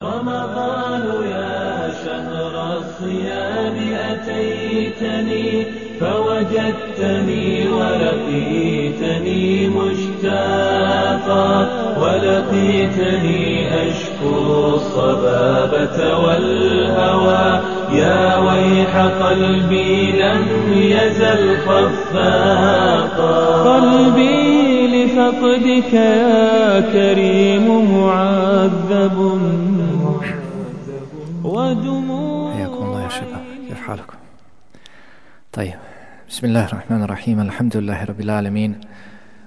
رمضان يا شهر الصيام أتيتني فوجدتني ولقيتني مشتاقا ولقيتني أشكو الصبابة والهوى يا ويح قلبي لم يزل خفاقا قلبي لفقدك يا كريم معذب ودموع حياكم الله يا شباب، كيف حالكم؟ طيب، بسم الله الرحمن الرحيم، الحمد لله رب العالمين،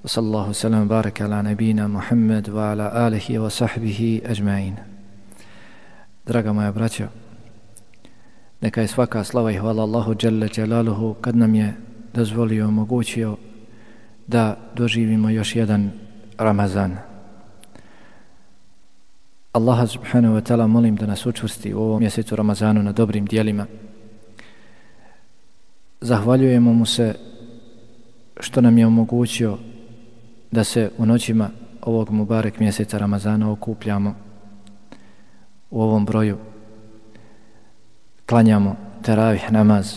وصلى الله وسلم وبارك على نبينا محمد وعلى آله وصحبه أجمعين. Draga moja braćo, neka je svaka slava i hvala Allahu dželle dželaluhu kad nam je dozvolio, omogućio da doživimo još jedan Ramazan. Allaha subhanahu wa ta'ala molim da nas učvrsti u ovom mjesecu Ramazanu na dobrim dijelima. Zahvaljujemo mu se što nam je omogućio da se u noćima ovog mubarek mjeseca Ramazana okupljamo u ovom broju, klanjamo teravih namaz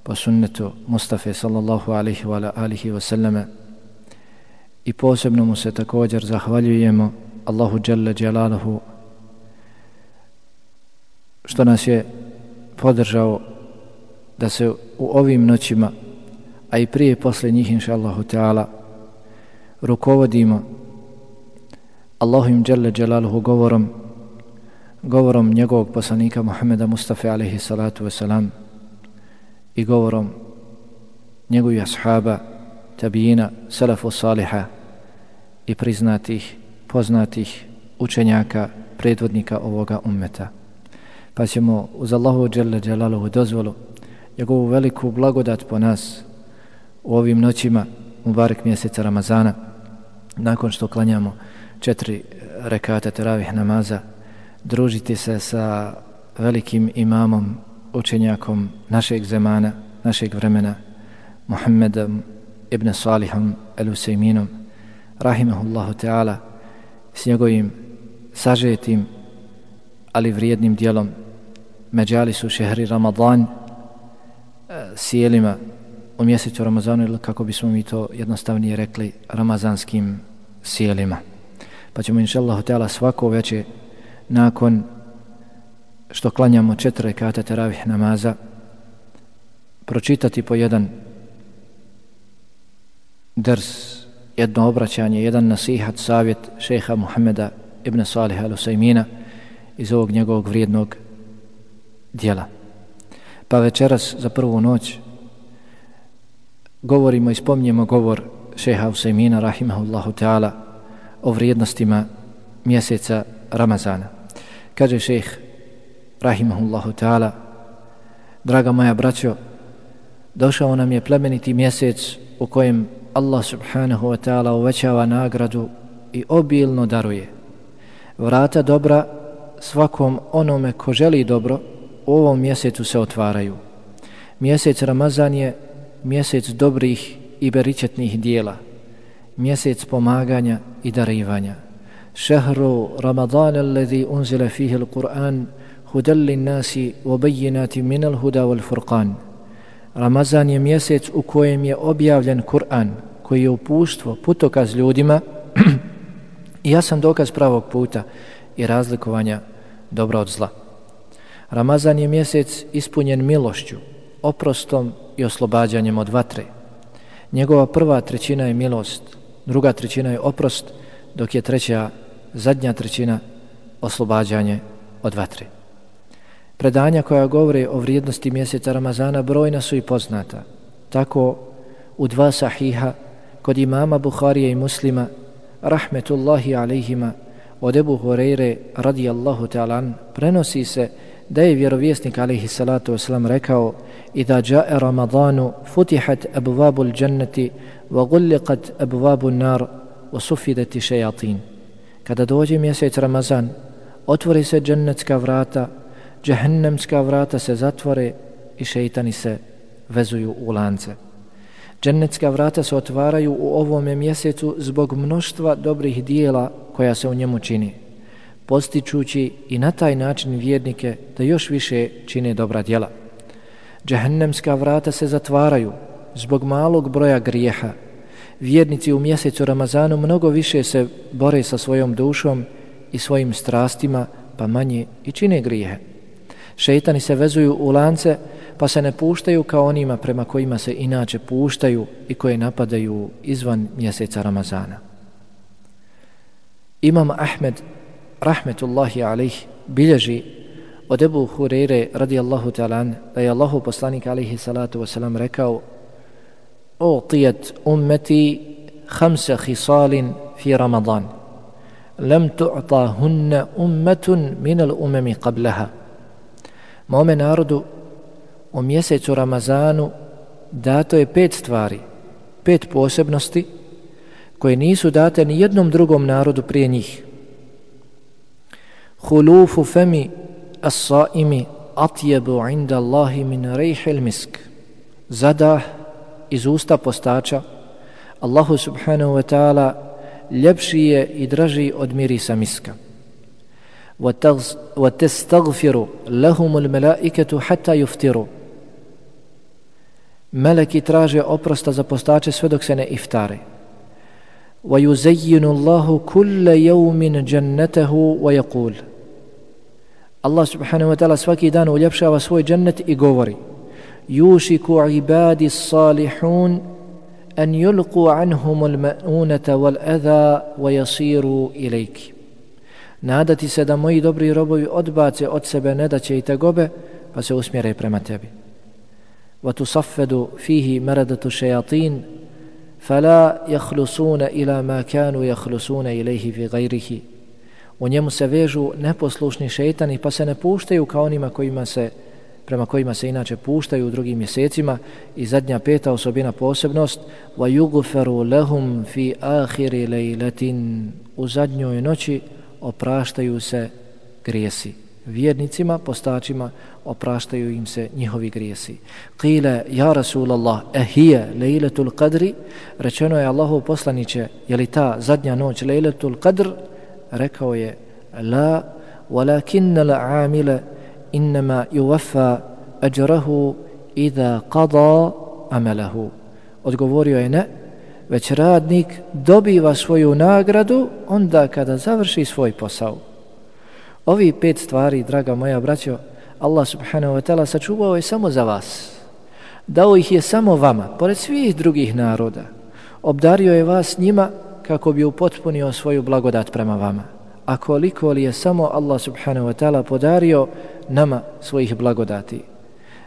po sunnetu Mustafa sallallahu alaihi wa alihi wa sallame i posebno mu se također zahvaljujemo Allahu dželle dželaluhu što nas je podržao da se u ovim noćima, a i prije posle njih inša Allahu ta'ala, rukovodimo Allahum dželle dželaluhu govorom njegovog poslanika Muhammeda Mustafa alaihi salatu wasalam i govorom njegovih ashaba, tabijina, salafu saliha i priznatih, poznatih učenjaka, predvodnika ovoga ummeta. Pa ćemo uz Allahu dželle dželaluhu dozvolu, njegovu veliku blagodat po nas u ovim noćima mubarek mjeseca Ramazana, nakon što klanjamo 4 rekata teravih namaza, družiti se sa velikim imamom, učenjakom našeg zemana, našeg vremena, Muhammedom ibn Salihom el-Usejminom, rahimahullahu ta'ala, s njegovim sažetim, ali vrijednim dijelom Međalisu šehri Ramadan, sjelima u mjesecu Ramazanu, ili kako bismo mi to jednostavnije rekli, ramazanskim sjelima. Pa ćemo inšallahu ta'ala svako veće nakon što klanjamo 4 rekata teravih namaza pročitati po jedan ders, jedno obraćanje, jedan nasihat, savjet šejha Muhammeda ibn Saliha al-Usejmina iz ovog njegovog vrijednog dijela. Pa večeras za prvu noć govorimo i spominjemo govor šejha Usejmina rahimahullahu ta'ala o vrijednostima mjeseca Ramazana. Kaže šejh rahimahullahu ta'ala: draga moja braćo, došao nam je plemeniti mjesec u kojem Allah subhanahu wa ta'ala uvećava nagradu i obilno daruje. Vrata dobra svakom onome ko želi dobro u ovom mjesecu se otvaraju. Mjesec Ramazan je mjesec dobrih i beričetnih dijela, mjesec pomaganja i darivanja. Šehru Ramadan alladhi unzila fihi al-Qur'an hudan lin-nasi wa bayyinatin min al-huda wal-furqan. Ramazan je mjesec u kojem je objavljen Kur'an, koji je uputstvo, putokaz ljudima i jasan dokaz pravog puta i razlikovanja dobra od zla. Ramazan je mjesec ispunjen milošću, oprostom i oslobađanjem od vatre. Njegova prva trećina je milost, druga trećina je oprost, dok je zadnja trećina oslobađanje od vatre. Predanja koja govore o vrijednosti mjeseca Ramazana brojna su i poznata. Tako u 2 sahiha kod imama Buharije i Muslima rahmetullahi alejhima od Ebu Hureyre radijallahu ta'ala prenosi se da je vjerovjesnik alejhi salatu wasalam rekao: idha jaa Ramadanu futihat abwabul jannati wa ghulqat abwabun nar wa sufidat shayatin. Kada dođe mjesec Ramazan, otvori se džennetska vrata, džehennemska vrata se zatvore i šejtani se vezuju u lance. Džennetska vrata se otvaraju u ovome mjesecu zbog mnoštva dobrih dijela koja se u njemu čini. postičući i na taj način vjernike da još više čine dobra djela. Džehennemska vrata se zatvaraju zbog malog broja grijeha. Vjernici u mjesecu Ramazanu mnogo više se bore sa svojom dušom i svojim strastima, pa manje i čine grijehe. Šejtani se vezuju u lance, pa se ne puštaju kao onima prema kojima se inače puštaju i koje napadaju izvan mjeseca Ramazana. Imam Ahmed, rahmetullahi alejh, bilježi od Ebu Hureyre radijallahu ta'ala da je Allahu poslanik alejhi salatu wasalam rekao: "Utijet ummeti khamsa khisalin fi Ramadan, lam tu'tahunna ummatun min al-umami qablaha." Mome narodu u mjesecu Ramazanu dato je 5 stvari, 5 posebnosti koje nisu date ni jednom drugom narodu prije njih. Khulufu fami as-saimi atyabu 'inda Allahi min rihil misk. Zadah iz usta postača Allahu subhanahu wa ta'ala ljepši je i draži od mirisa miska. وَتَسْتَغْفِرُ لَهُمُ الْمَلَائِكَةُ حَتَّى يُفْتِرُ. Meleki traže oprosta za postače sve dok se ne iftare. وَيُزَيِّنُ اللَّهُ كُلَّ يَوْمٍ جَنَّتَهُ وَيَقُولُ. Allah subhanahu wa ta'ala svaki dan uljepšava svoj džennet i govori: يُوشِكُ عِبَادِ الصَّالِحُونَ أَنْ يُلْقُوا عَنْهُمُ الْمَؤُونَةَ وَالْأَذَى وَيَصِيرُوا إِلَيْكِ. Nadati se da moji dobri robovi odbace od sebe nedaće i tegobe, pa se usmjere prema tebi. وَتُصَفَّدُ فِيهِ مَرَدَةُ الشَّيَاطِينَ فَلَا يَخْلُصُونَ إِلَى مَا كَانُوا يَخْلُصُونَ إِلَيْهِ فِي غَيْرِهِ. U njemu se vežu neposlušni šejtani, pa se ne puštaju kao onima prema kojima se inače puštaju u drugim mjesecima. I zadnja 5. osobina, posebnost: وَيُغْفَرُ لَهُمْ فِي آخِرِ لَيْلَةٍ. U zadnjoj noći opraštaju se grijesi. Vjernicima, postačima, opraštaju im se njihovi grijesi. Qila ja Rasulallah, ahija lejletul qadri? Rečeno je: Allahov poslaniće, je li ta zadnja noć lejletul qadr? Rekao je: la, walakinna l'amila innama yuwaffa ajrahu idha qada amalahu. Odgovorio je: ne, već radnik dobiva svoju nagradu onda kada završi svoj posao. Ovi 5 stvari, draga moja braćo, Allah subhanahu wa ta'ala sačuvao je samo za vas. Dao ih je samo vama, pored svih drugih naroda. Obdario je vas njima kako bi upotpunio svoju blagodat prema vama. A koliko li je samo Allah subhanahu wa ta'ala podario nama svojih blagodati.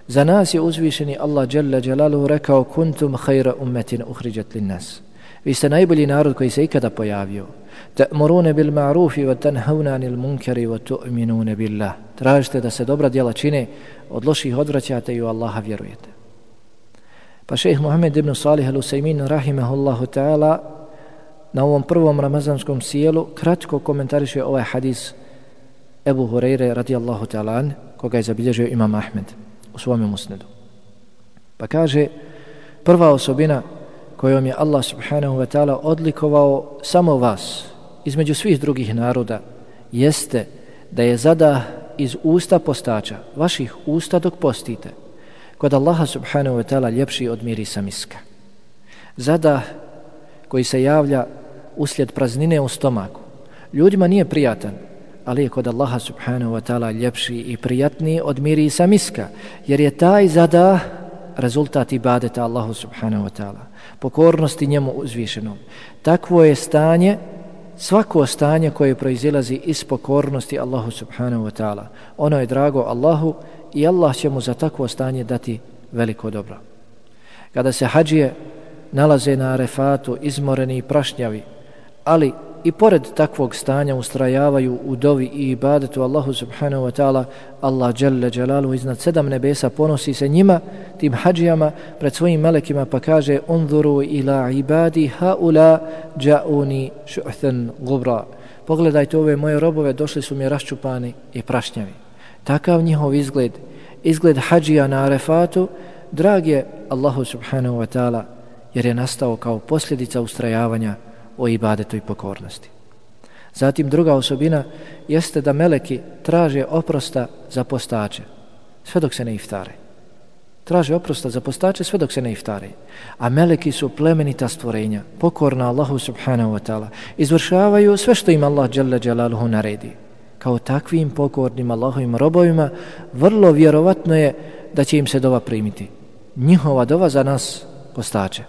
Za nas je uzvišeni Allah dželle dželaluhu rekao: kuntum khayra ummatin ukhrijat lin-nas. Vi ste najbolji narod koji se ikada pojavio. Ta'muruna bil ma'rufi wa tanhauna 'anil munkari wa tu'minuna billah. Tražite da se dobra djela čine, od loših odvraćate i u Allaha vjerujete. Pa šejh Muhammed ibn Salih al-Usaymin rahimahullahu ta'ala na ovom prvom ramazanskom sjelu kratko komentariše ovaj hadis Ebu Hureyre radijallahu ta'ala an, koga je zabilježio Imam Ahmed u svome musnedu. Pa kaže: prva osobina kojom je Allah subhanahu wa ta'ala odlikovao samo vas između svih drugih naroda jeste da je zadah iz usta postača, vaših usta dok postite, kod Allaha subhanahu wa ta'ala ljepši od mirisa miska. Zadah koji se javlja uslijed praznine u stomaku ljudima nije prijatan, ali je kod Allaha subhanahu wa ta'ala ljepši i prijatniji od mirisa miska, jer je taj zadah rezultat ibadeta Allahu subhanahu wa ta'ala, pokornosti njemu uzvišenom. Takvo je stanje, svako stanje koje proizilazi iz pokornosti Allahu subhanahu wa ta'ala. Ono je drago Allahu i Allah će mu za takvo stanje dati veliko dobro. Kada se hadžije nalaze na Arefatu izmoreni i prašnjavi, ali i pored takvog stanja ustrajavaju u dovi i ibadetu Allahu subhanahu wa ta'ala, Allah dželle dželaluhu iznad 7 nebesa ponosi se njima, tim hadžijama, pred svojim melekima, pa kaže: unzuru ila ibadi haula ja'uni shu'than gubra. Pogledajte ove moje robove, došli su mi raščupani i prašnjavi. Takav njihov izgled hadžija na Arefatu drag je Allahu subhanahu wa ta'ala, jer je nastao kao posljedica ustrajavanja o ibadetu i pokornosti. Zatim druga osobina jeste da meleki traže oprosta za postače sve dok se ne iftare. Traže oprosta za postače sve dok se ne iftare. A meleki su plemenita stvorenja, pokorna Allahu subhanahu wa ta'ala. Izvršavaju sve što im Allah dželle dželaluhu naredi. Kao takvim pokornim Allahovim robovima vrlo vjerovatno je da će im se dova primiti. Njihova dova za nas postače.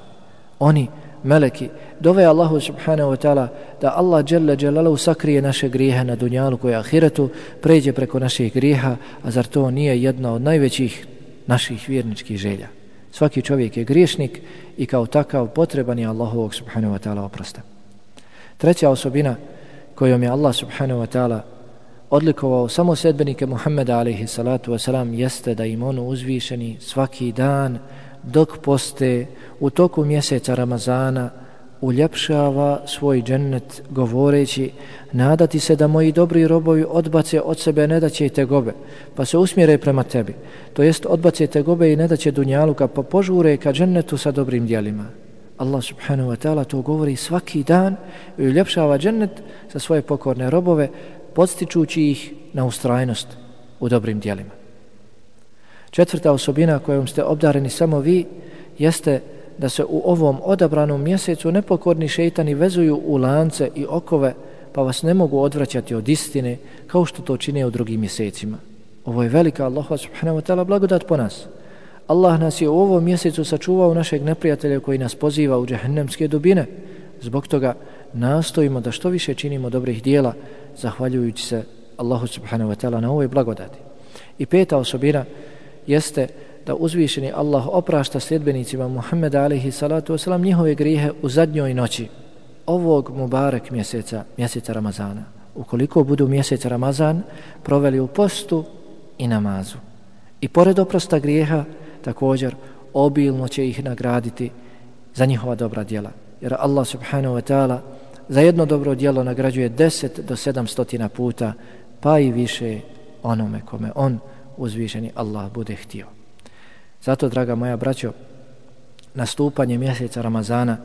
Oni, meleki, dove Allahu subhanahu wa ta'ala da Allah dželle dželaluhu sakrije naše grijehe na dunjaluku i ahiretu, pređe preko naših grijeha, a zar to nije jedna od najvećih naših vjerničkih želja? Svaki čovjek je griješnik i kao takav potreban je Allahovog subhanahu wa ta'ala oprosta. Treća osobina kojom je Allah subhanahu wa ta'ala odlikovao samo sedbenike Muhammeda alejhi salatu wasalam jeste da im on uzvišeni svaki dan dok poste u toku mjeseca Ramazana uljepšava svoj džennet govoreći: nadati se da moji dobri robovi odbace od sebe nedaće i tegobe pa se usmjere prema tebi, to jest odbace tegobe i nedaće dunjaluka pa požure ka džennetu sa dobrim djelima. Allah subhanahu wa ta'ala to govori svaki dan i uljepšava džennet za svoje pokorne robove, podstičući ih na ustrajnost u dobrim djelima. Četvrta osobina kojom ste obdareni samo vi jeste da se u ovom odabranom mjesecu nepokorni šejtani vezuju u lance i okove pa vas ne mogu odvraćati od istine kao što to čine u drugim mjesecima. Ovo je velika Allaha subhanahu wa ta'ala blagodat po nas. Allah nas je u ovom mjesecu sačuvao našeg neprijatelja koji nas poziva u džehennemske dubine. Zbog toga nastojimo da što više činimo dobrih dijela zahvaljujući se Allahu subhanahu wa ta'ala na ovoj blagodati. I peta osobina jeste da uzvišeni Allah oprašta sljedbenicima Muhammeda alejhi salatu wasalam njihove grijehe u zadnjoj noći ovog mubarek mjeseca Ramazana. Ukoliko budu mjesec Ramazan proveli u postu i namazu. I pored oprosta grijeha također obilno će ih nagraditi za njihova dobra djela. Jer Allah subhanahu wa ta'ala za jedno dobro djelo nagrađuje 10 do 700 puta, pa i više onome kome on, uzvišeni Allah, bude htio. Zato, draga moja braćo, nastupanje mjeseca Ramazana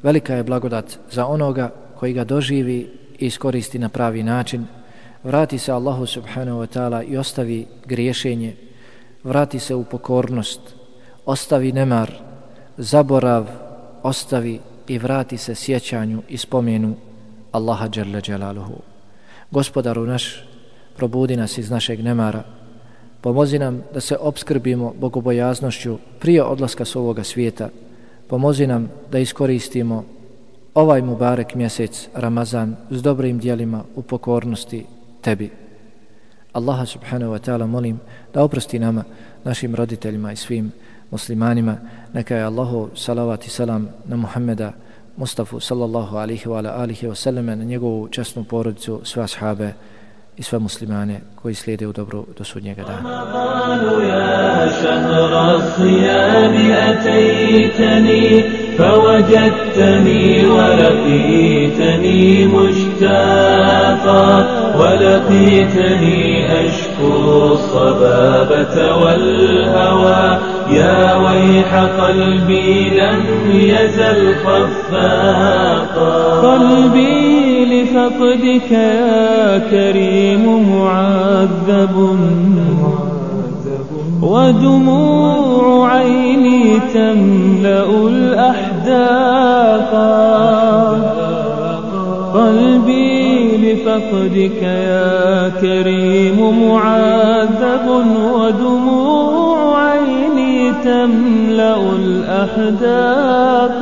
velika je blagodat za onoga koji ga doživi i iskoristi na pravi način, vrati se Allahu subhanahu wa ta'ala i ostavi griješenje, vrati se u pokornost, ostavi nemar, zaborav, ostavi i vrati se sjećanju i spomenu Allaha dželle dželaluhu. Gospodaru naš, probudi nas iz našeg nemara, pomozi nam da se opskrbimo bogobojaznošću prije odlaska s ovoga svijeta, pomozi nam da iskoristimo ovaj mubarek mjesec Ramazan s dobrim djelima u pokornosti tebi. Allaha subhanahu wa ta'ala molim da oprosti nama, našim roditeljima i svim muslimanima. Neka je Allahu salavat i salam na Muhammeda Mustafa sallallahu alihi wa alihi wa sallame, na njegovu časnu porodicu, sve ashabe i sve muslimane koji slijede u dobru do sudnjega dana. فوجدتني ولقيتني مشتاقا ولقيتني أشكو الصبابة والهوى يا ويح قلبي لم يزل خفاقا قلبي لفقدك يا كريم معذب ودموع عيني تملأ الأحداق قلبي لفقدك يا كريم معذب ودموع عيني تملأ الأحداق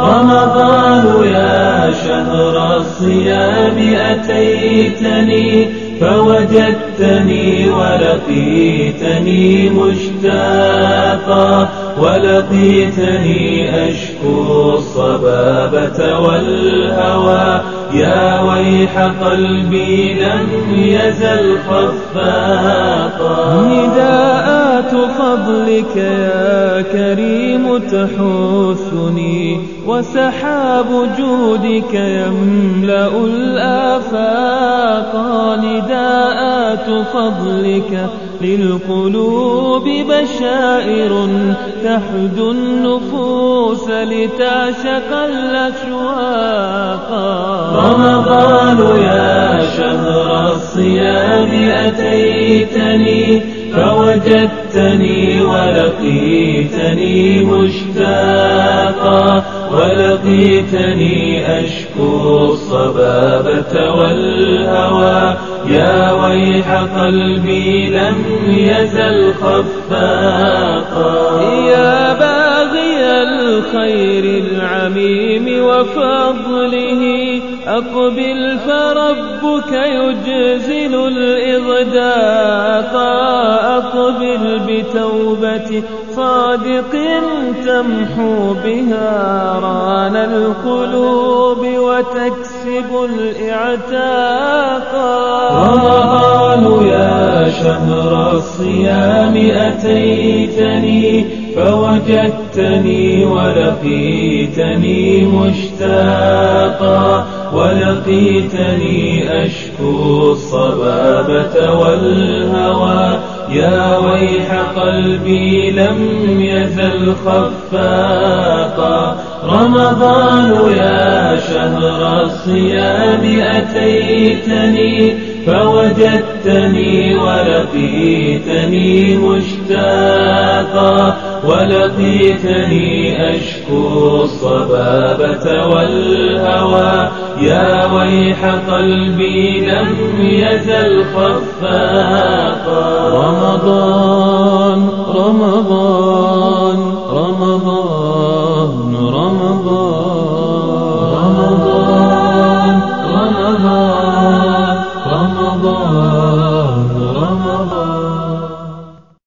رمضان يا شهر الصيام أتيتني فوجدتني ولقيتني مشتاقا ولقيتني أشكو الصبابة والهوى يا ويح قلبي لم يزل خفاقا نداءات فضلك يا كريم تحثني وسحاب جودك يملأ الآفاق نداءات فضلك للقلوب بشائر تحدو النفوس لتعشق الأشواق رمضان يا شهر الصيام أتيتني فوجدتني ولقيتني مشتاقا ولقيتني أشكو الصبابة والهوى يا ويح قلبي لم يزل خفاقا يا باغي الخير العميم وفضله أقبل فربك يجزل الإغداق أقبل بتوبة صادق تمحو بها ران القلوب وتكسب الإعتاق رمضان يا شهر الصيام أتيتني فوجدتني ولقيتني مشتاقا ولقيتني أشكو الصبابة والهوى يا ويح قلبي لم يزل خفاقا رمضان يا شهر الصيام أتيتني فوجدتني ولقيتني مشتاقا ولقيتني أشكو الصبابة والهوى يا ويح قلبي لم يزل خفاقا رمضان